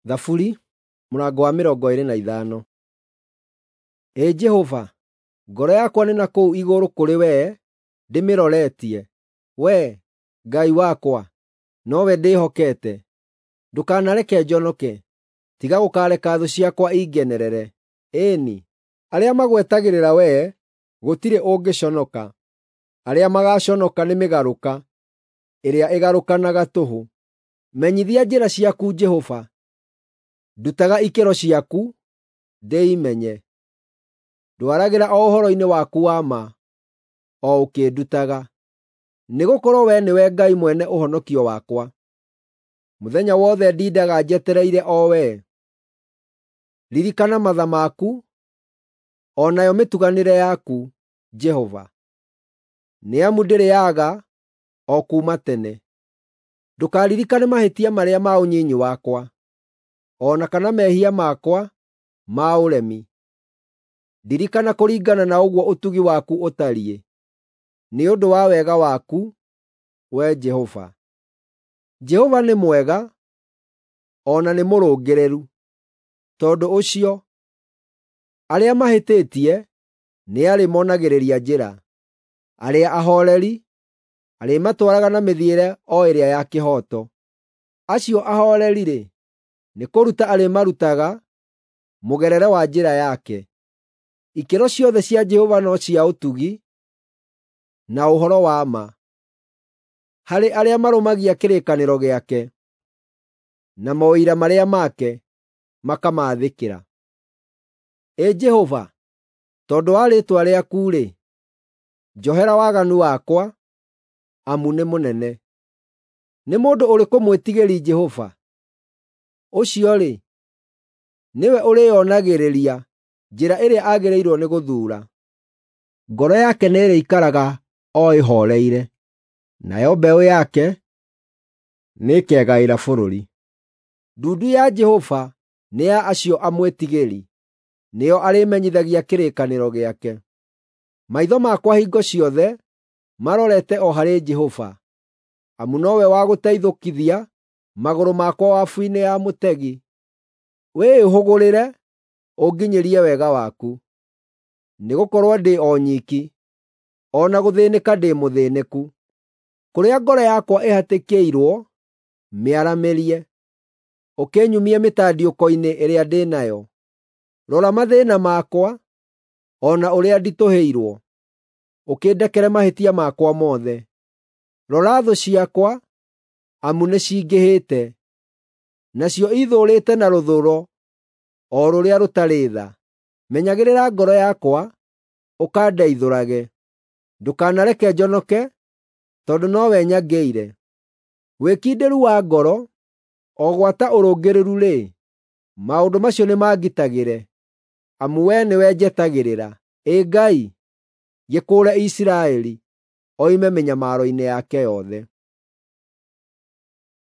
Thaburi mũrango wa 25. Ĩ Jehova, ngoro yakwa nĩ na kũu igũrũ kũrĩ wee ndĩmĩroretie; Wee, Ngai wakwa, nowe ndĩhokete. Ndũkanareke njonoke, tiga gũkareka thũ ciakwa ingenerere. Ĩĩ-ni, arĩa magwetagĩrĩra wee gũtirĩ ũngĩconoka; arĩa magaaconoka nĩ mĩgarũka ĩrĩa ĩgarũkanaga tũhũ. Menyithia njĩra ciaku, Jehova; ndutaga ikĩro ciaku, ndĩimenye. Ndwaragĩra o ũhoro-inĩ waku wa ma, o ũkĩndutaga, nĩgũkorwo Wee nĩwe Ngai mwene ũhonokio wakwa. Mũthenya wothe ndindaga njetereire o Wee. Ririkana matha maku, o nayo mĩtuganĩre yaku, Jehova, nĩ amu ndĩrĩ yaaga o kuuma tene. Ndũkaririkane mahĩtia marĩa ma ũnyinyi wakwa, o na kana mehia makwa ma ũremi. Ndirikana kũringana na ũguo ũtugi waku ũtariĩ, nĩ ũndũ wa wega waku, Wee Jehova. Jehova nĩ mwega, o na nĩ mũrũngĩrĩru; tondũ ũcio, arĩa mahĩtĩtie nĩarĩmonagĩrĩria njĩra. Arĩa ahooreri arĩmatwaraga na mĩthiĩre o ĩrĩa ya kĩhooto. Acio ahooreri-rĩ, nĩkũruta arĩmarutaga mũgerere wa njĩra yake. Ikĩro ciothe cia Jehova no cia ũtugi na ũhoro wa ma harĩ arĩa marũmagia kĩrĩkanĩro gĩake, na maũira marĩa make makamaathĩkĩra. Ĩ Jehova, tondũ wa rĩĩtwa rĩaku-rĩ, njohera waganu wakwa, amu nĩ mũnene. Nĩ mũndũ ũrĩkũ mwĩtigĩri Jehova? Ũcio-rĩ, nĩwe ũrĩĩonagĩrĩria njĩra ĩrĩa agĩrĩirwo nĩ gũthuura. Ngoro yake nĩĩrĩikaraga o ĩhooreire, nayo mbeũ yake nĩĩkegaĩra bũrũri. Ndundu ya Jehova nĩ ya acio amwĩtigĩri, nĩo arĩmenyithagia kĩrĩkanĩro gĩake. Maitho makwa hingo ciothe marorete o harĩ Jehova, amu nowe wa gũteithũkithia magũrũ makwa wabu-inĩ ya mũtegi. Wĩĩhũgũrĩre ũnginyĩrie wega waku, nĩgũkorwo ndĩ o nyiki, o na gũthĩĩnĩka ndĩ mũthĩĩnĩku. Kũrĩa ngoro yakwa ĩhatĩkĩirwo, mĩaramĩrie, ũkĩnyumie mĩtandiũko-inĩ ĩrĩa ndĩ nayo. Rora mathĩĩna makwa, o na ũrĩa nditũhĩirwo, ũkĩndekere mahĩtia makwa mothe. Rora thũ ciakwa, amu nĩcingĩhĩte, nacio iithũũrĩte na rũthũũro o rũrĩa rũtarĩ tha. Menyagĩrĩra ngoro yakwa, ũkandeithũrage. Ndũkanareke njonoke, tondũ nowe nyangĩire. Wĩkindĩru wa ngoro, o gwata ũrũngĩrĩru-rĩ, maũndũ macio nĩmangitagĩre, amu Wee nĩwe njetagĩrĩra. Ĩ Ngai, gĩkũũre Isiraeli oime mĩnyamaro-inĩ yake yothe.